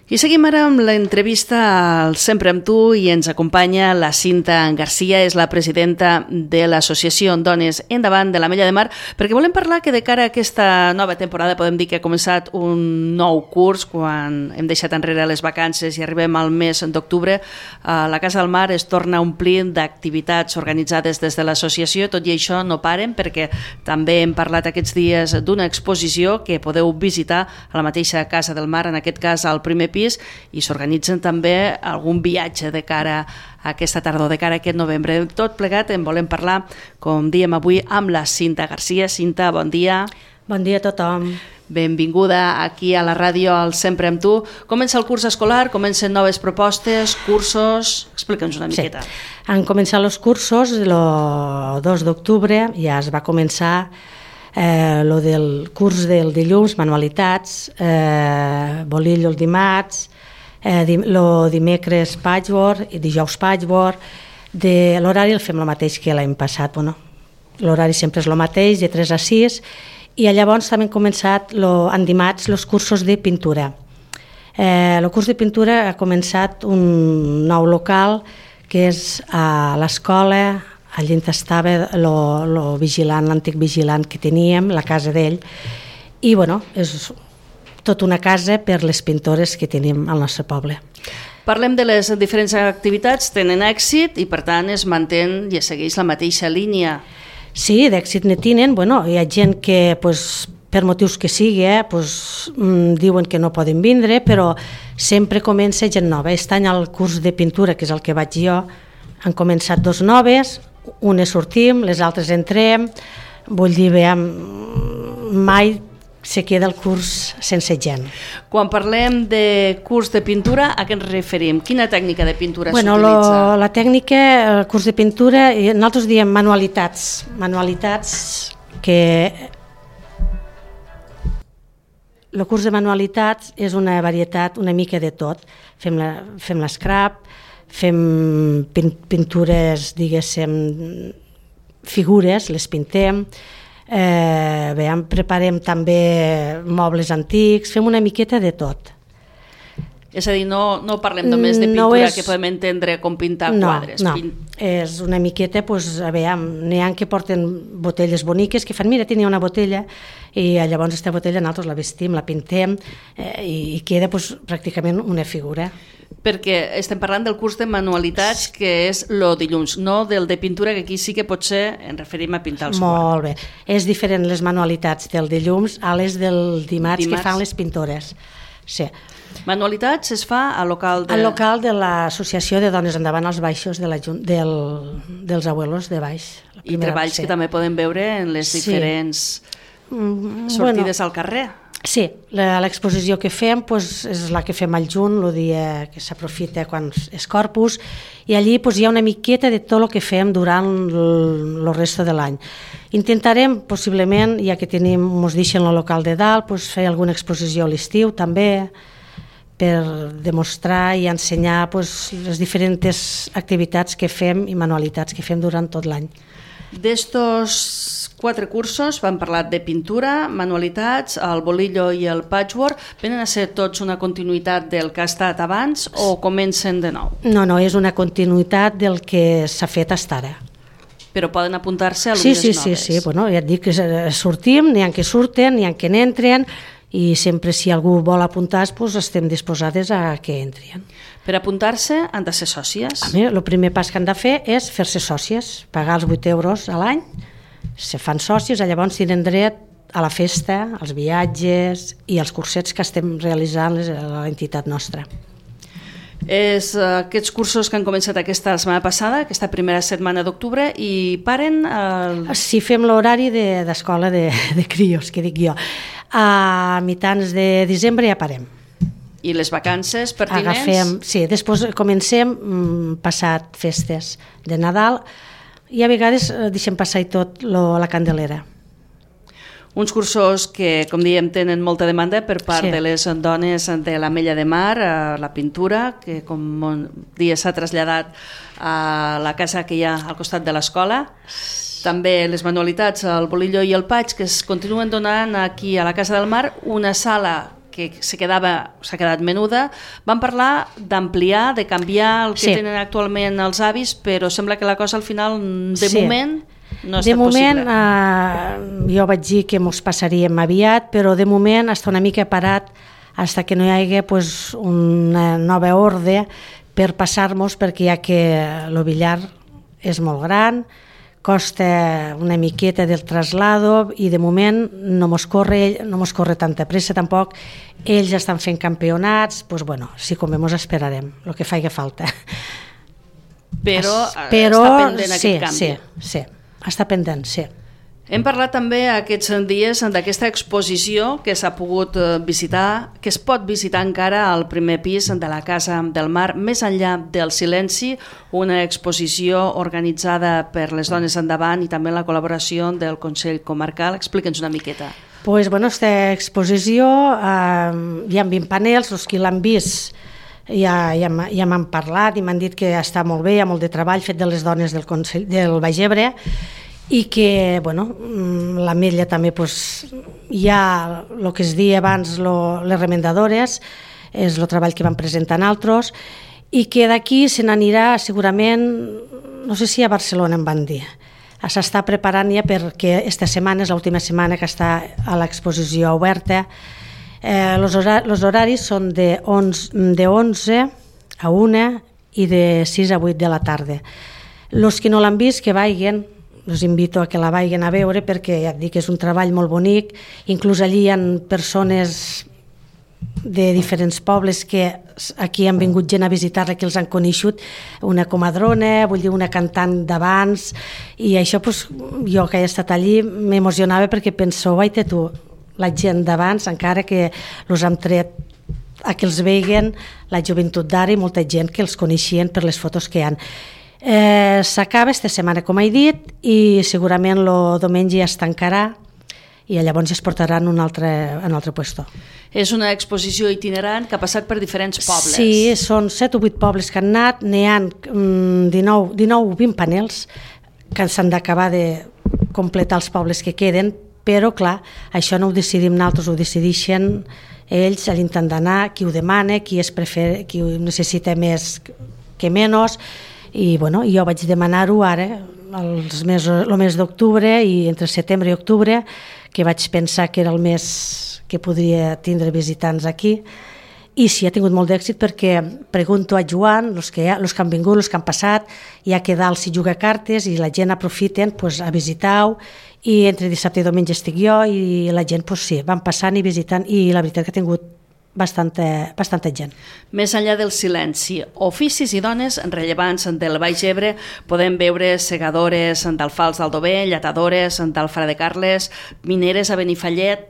I seguim ara amb l'entrevista al Sempre amb tu i ens acompanya la Cinta Garcia, és la presidenta de l'associació Dones Endavant de l'Ametlla de Mar, perquè volem parlar que de cara a aquesta nova temporada podem dir que ha començat un nou curs quan hem deixat enrere les vacances i arribem al mes d'octubre. La Casa del Mar es torna a omplir d'activitats organitzades des de l'associació, tot i això no paren perquè també hem parlat aquests dies d'una exposició que podeu visitar a la mateixa Casa del Mar, en aquest cas al primer pis, i s'organitzen també algun viatge de cara a aquesta tardor, de cara a aquest novembre. Tot plegat en volem parlar, com diem avui, amb la Cinta Garcia. Cinta, bon dia. Bon dia a tothom. Benvinguda aquí a la ràdio al Sempre amb tu. Comença el curs escolar, comencen noves propostes, cursos... Explica'ns una miqueta. Sí. Han començat els cursos el 2 d'octubre, ja es va començar lo del curs del dilluns, manualitats, bolillo el dimarts, dimecres patchwork i dijous patchwork. L'horari el fem el mateix que l'any passat, l'horari sempre és el mateix, de 3 a 6, i llavors també han començat en dimarts els cursos de pintura. El curs de pintura ha començat un nou local que és a l'escola. Allí estava l'antic vigilant que teníem, la casa d'ell, i és tota una casa per les pintores que tenim al nostre poble. Parlem de les diferents activitats, tenen èxit i per tant es mantén i es segueix la mateixa línia. Sí, d'èxit ne tenen. Hi ha gent que per motius que sigui diuen que no poden vindre, però sempre comença gent nova. Aquest any al curs de pintura, que és el que vaig jo, han començat 2 noves, unes sortim, les altres entrem, vull dir, mai se queda el curs sense gent. Quan parlem de curs de pintura, a què ens referim? Quina tècnica de pintura s'utilitza? La tècnica, el curs de pintura, nosaltres diem manualitats que... El curs de manualitats és una varietat una mica de tot. Fem l'escrap, fem pintures, diguéssim, figures, les pintem, preparem també mobles antics, fem una miqueta de tot. És a dir, no parlem només de pintura que podem entendre com pintar quadres. No, és una miqueta, n'hi ha que porten botelles boniques que fan, mira, tenia una botella, i llavors aquesta botella nosaltres la vestim, la pintem i queda pràcticament una figura. Perquè estem parlant del curs de manualitats, que és el dilluns, no del de pintura, que aquí sí que potser ens referim a pintar els quadres. Molt bé. És diferent les manualitats del dilluns a les del dimarts que fan les pintores. Sí. Manualitats es fa al local de... Al local de l'Associació de Dones Endavant als Baixos dels abuelos de baix. I treballs que també poden veure en les diferents sortides al carrer. Sí, l'exposició que fem és la que fem al juny, el dia que s'aprofita quan és Corpus, i allí hi ha una miqueta de tot el que fem durant el resto de l'any. Intentarem, possiblement, ja que ens deixen el local de dalt, fer alguna exposició a l'estiu també, per demostrar i ensenyar les diferents activitats que fem i manualitats que fem durant tot l'any. D'estos 4 cursos vam parlar de pintura, manualitats, el bolillo i el patchwork. Venen a ser tots una continuïtat del que ha estat abans o comencen de nou? No, és una continuïtat del que s'ha fet fins ara. Però poden apuntar-se a alumnes noves? Sí, ja et dic que sortim, n'hi ha que surten, n'hi ha que n'entren, i sempre si algú vol apuntar estem disposades a que entrin. Per apuntar-se han de ser sòcies? El primer pas que han de fer és fer-se sòcies, pagar els 8 euros a l'any, se fan sòcies, llavors tenen dret a la festa, als viatges i als cursets que estem realitzant a l'entitat nostra. És aquests cursos que han començat aquesta setmana passada, aquesta primera setmana d'octubre, i paren... Sí, fem l'horari d'escola de crios, que dic jo. A mitjans de desembre ja parem. I les vacances pertinents? Sí, després comencem passat festes de Nadal i a vegades deixem passar tot la Candelera. Uns cursos que, com diem, tenen molta demanda per part de les dones de l'Ametlla de Mar, la pintura, que com dia s'ha traslladat a la casa que hi ha al costat de l'escola. També les manualitats, el bolillo i el patx, que es continuen donant aquí a la Casa del Mar, una sala que s'ha quedat menuda. Van parlar d'ampliar, de canviar el que tenen actualment els avis, però sembla que la cosa al final, de moment, no ha estat possible. De moment, jo vaig dir que mos passaríem aviat, però de moment està una mica parat fins que no hi hagi una nova ordre per passar-nos, perquè ja que el billar és molt gran, costa una miqueta del traslado i de moment no mos corre tanta pressa tampoc. Ells estan fent campionats, doncs bueno, si convé mos esperarem, el que faci falta. Però està pendent aquest canvi. Sí, està pendent, sí. Hem parlat també aquests dies d'aquesta exposició que s'ha pogut visitar, que es pot visitar encara al primer pis de la Casa del Mar, Més enllà del silenci, una exposició organitzada per les Dones Endavant i també la col·laboració del Consell Comarcal. Explica'ns una miqueta. Pues, bueno, aquesta exposició hi ha 20 panels, els que l'han vist ja m'han parlat i m'han dit que està molt bé, hi ha molt de treball fet de les dones del Baix Ebre, i que, bueno, l'Ametlla també hi ha el que es deia abans les remendadores, és el treball que van presentar altres, i que d'aquí se n'anirà segurament, no sé si a Barcelona em van dir. S'està preparant ja perquè aquesta setmana és l'última setmana que està a l'exposició oberta. Els horaris són de 11 a 1 i de 6 a 8 de la tarda. Els que no l'han vist, que vagin, us invito a que la vagin a veure, perquè ja et dic que és un treball molt bonic. Inclús allí hi ha persones de diferents pobles que aquí han vingut gent a visitar-la, que els han coneixut, una comadrona, vull dir, una cantant d'abans, i això jo que he estat allí m'emocionava perquè penso, vaita tu, la gent d'abans, encara que els han tret a que els veguen la joventut d'ara i molta gent que els coneixien per les fotos que hi ha. S'acaba aquesta setmana, com he dit, i segurament el diumenge ja es tancarà i llavors ja es portaran en un altre puesto. És una exposició itinerant que ha passat per diferents pobles. Sí, són 7 o 8 pobles que han anat, n'hi ha 19 o 20 panels que s'han d'acabar de completar els pobles que queden, però clar, això no ho decidim nosaltres, ho decideixen ells a l'intent d'anar, qui ho demana, qui ho necessita més que menys. I bueno, jo vaig demanar-ho ara, el mes d'octubre, i entre setembre i octubre, que vaig pensar que era el mes que podria tindre visitants aquí, i sí, ha tingut molt d'èxit perquè pregunto a Joan, els que han vingut, els que han passat, ja que dalt s'hi juga cartes i la gent aprofiten a visitar-ho, i entre dissabte i diumenge estic jo i la gent sí, van passant i visitant, i la veritat que ha tingut bastanta gent. Més enllà del silenci, oficis i dones rellevants del Baix Ebre, podem veure segadores d'Alfals d'Aldover, lletadores d'Alfara de Carles, mineres a Benifallet,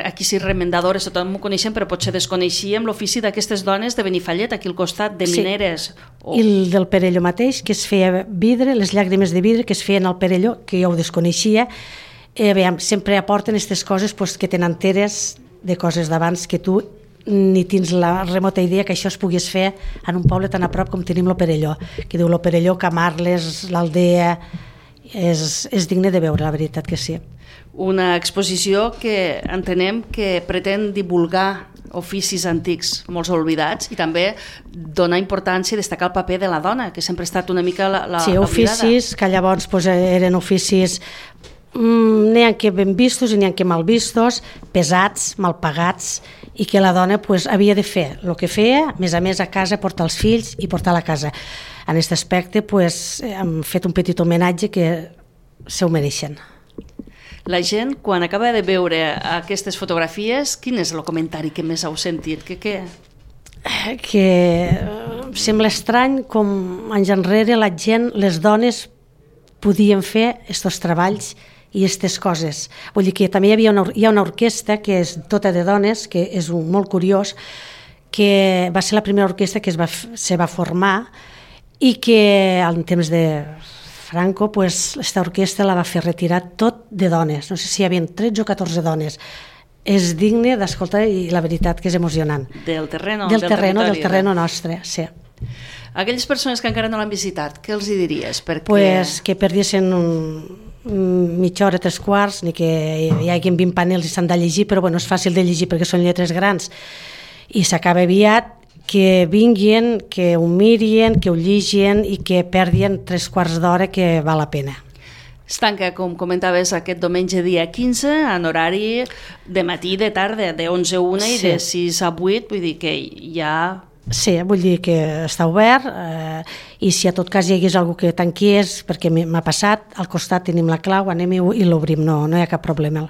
aquí sí, remendadores, tothom ho coneixem, però potser desconeixíem l'ofici d'aquestes dones de Benifallet, aquí al costat de mineres. I el del Perelló mateix, que es feia vidre, les llàgrimes de vidre que es feien al Perelló, que jo ho desconeixia. Sempre aporten aquestes coses que tenen teres de coses d'abans que tu ni tens la remota idea que això es pogués fer en un poble tan a prop com tenim lo Perelló, que diu lo Perelló, Camarles, l'Aldea, és digne de veure, la veritat que sí. Una exposició que entenem que pretén divulgar oficis antics, molts oblidats, i també donar importància i destacar el paper de la dona, que sempre ha estat una mica l'oblidada. Sí, oficis que llavors eren oficis n'hi ha que ben vistos i n'hi ha que mal vistos, pesats, mal pagats, i que la dona havia de fer el que feia, a més a casa portar els fills i portar la casa. En aquest aspecte hem fet un petit homenatge que se ho mereixen. La gent, quan acaba de veure aquestes fotografies, quin és el comentari que més heu sentit? Que sembla estrany com anys enrere la gent, les dones, podien fer aquests treballs i aquestes coses. Vull dir que també hi ha una orquestra que és tota de dones, que és molt curiós, que va ser la primera orquestra que se va formar i que en temps de Franco aquesta orquestra la va fer retirar tot de dones. No sé si hi havia 13 o 14 dones. És digne d'escoltar i la veritat que és emocionant. Del terreno nostre, sí. Aquelles persones que encara no l'han visitat, què els hi diries? Que perdiessin mitja hora, 3/4, ni que hi hagi 20 panels i s'han de llegir, però bueno, és fàcil de llegir perquè són lletres grans i s'acaba aviat, que vinguin, que ho mirin, que ho llegin i que perdin 3/4 d'hora, que val la pena. Es tanca, com comentaves, aquest diumenge dia 15 en horari de matí i de tarda, de 11 a 1 i de 6 a 8, vull dir que ja... Sí, vull dir que està obert i si a tot cas hi hagués algú que tanquies, perquè m'ha passat, al costat tenim la clau, anem i l'obrim, no hi ha cap problema.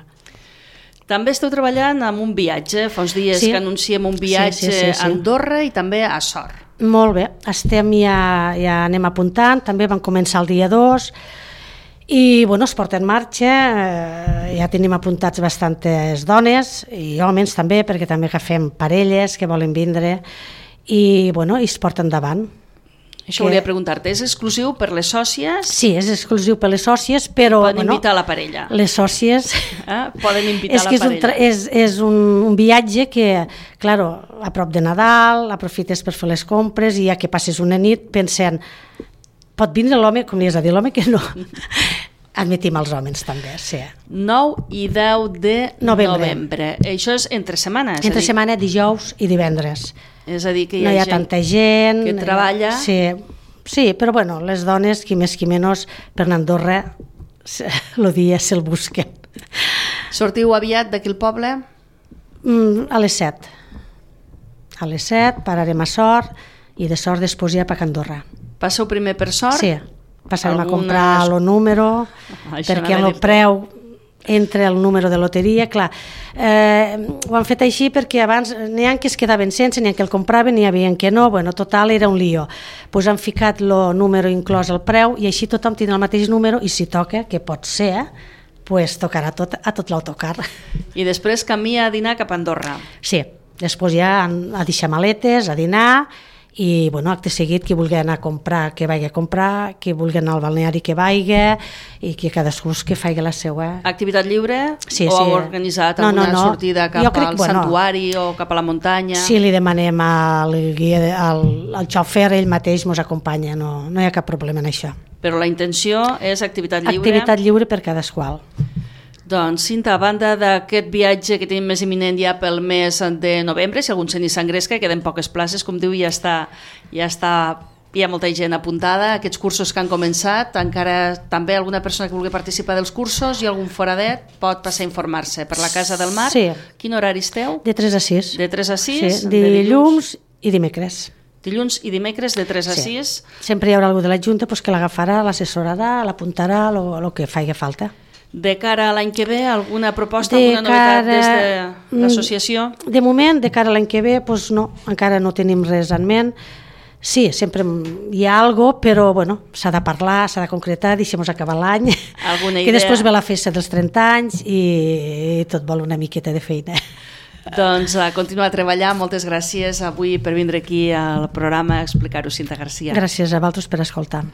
També esteu treballant amb un viatge, fa uns dies que anunciem un viatge a Andorra i també a Sort. Molt bé, ja anem apuntant, també vam començar el dia 2 i bueno, es porta en marxa, ja tenim apuntats bastantes dones i homes també, perquè també agafem parelles que volen vindre i bueno, es porta endavant. Això volia preguntar-te, és exclusiu per les sòcies? Sí, és exclusiu per les sòcies, però... Poden invitar la parella? Les sòcies... Poden invitar la parella. És un viatge que, claro, a prop de Nadal, aprofites per fer les compres i ja que passes una nit pensant, pot vindre l'home, com li has de dir, l'home que no... Admetim els homes també, sí. 9 i 10 de novembre. Això és entre setmana? Entre setmana, dijous i divendres. És a dir, que hi ha tanta gent que treballa... Sí, però bueno, les dones, qui més qui menys, per anar a Andorra, el dia se'l busquen. Sortiu aviat d'aquí al poble? A les 7. A les 7 pararem a Sort i de Sort després ja per Andorra. Passeu primer per Sort? Sí, passarem a comprar el número, perquè el preu entre el número de loteria, clar, ho han fet així perquè abans n'hi ha que es quedaven sense, n'hi ha que el compraven, n'hi havia que no, bueno, total era un lío. Pues han ficat el número inclòs al preu i així tothom tindrà el mateix número i si toca, que pot ser, pues tocarà a tot l'autocar. I després camí a dinar cap a Andorra. Sí, després ja a deixar maletes, a dinar i bueno, acte seguit qui vulgui anar a comprar que vagi a comprar, qui vulgui anar al balneari que vagi i que cadascú que faci la seva. Activitat lliure? Sí, o heu organitzat alguna sortida cap al santuari o cap a la muntanya? Sí, li demanem al guia, al xofer, ell mateix ens acompanya, no hi ha cap problema en això. Però la intenció és activitat lliure? Activitat lliure per cadascú. Doncs, Cinta, a banda d'aquest viatge que tenim més imminent ja pel mes de novembre, si algun se n'hi s'engresca, queden poques places, com diu, hi ha molta gent apuntada, aquests cursos que han començat, encara també alguna persona que vulgui participar dels cursos i algun foradet pot passar a informar-se per la Casa del Mar. Sí. Quin horari esteu? De 3 a 6. De 3 a 6? Sí, dilluns i dimecres. Dilluns i dimecres de 3 a 6. Sempre hi haurà algú de la Junta que l'agafarà, l'assessorarà, l'apuntarà, el que faci falta. De cara a l'any que ve, alguna proposta, alguna novetat des de l'associació? De moment, de cara a l'any que ve, doncs no, encara no tenim res en ment. Sí, sempre hi ha alguna cosa, però bueno, s'ha de parlar, s'ha de concretar, deixem-nos acabar l'any, que després ve la festa dels 30 anys i tot vol una miqueta de feina. Doncs a continuar a treballar. Moltes gràcies avui per vindre aquí al programa a explicar-ho, Cinta Garcia. Gràcies a vosaltres per escoltar.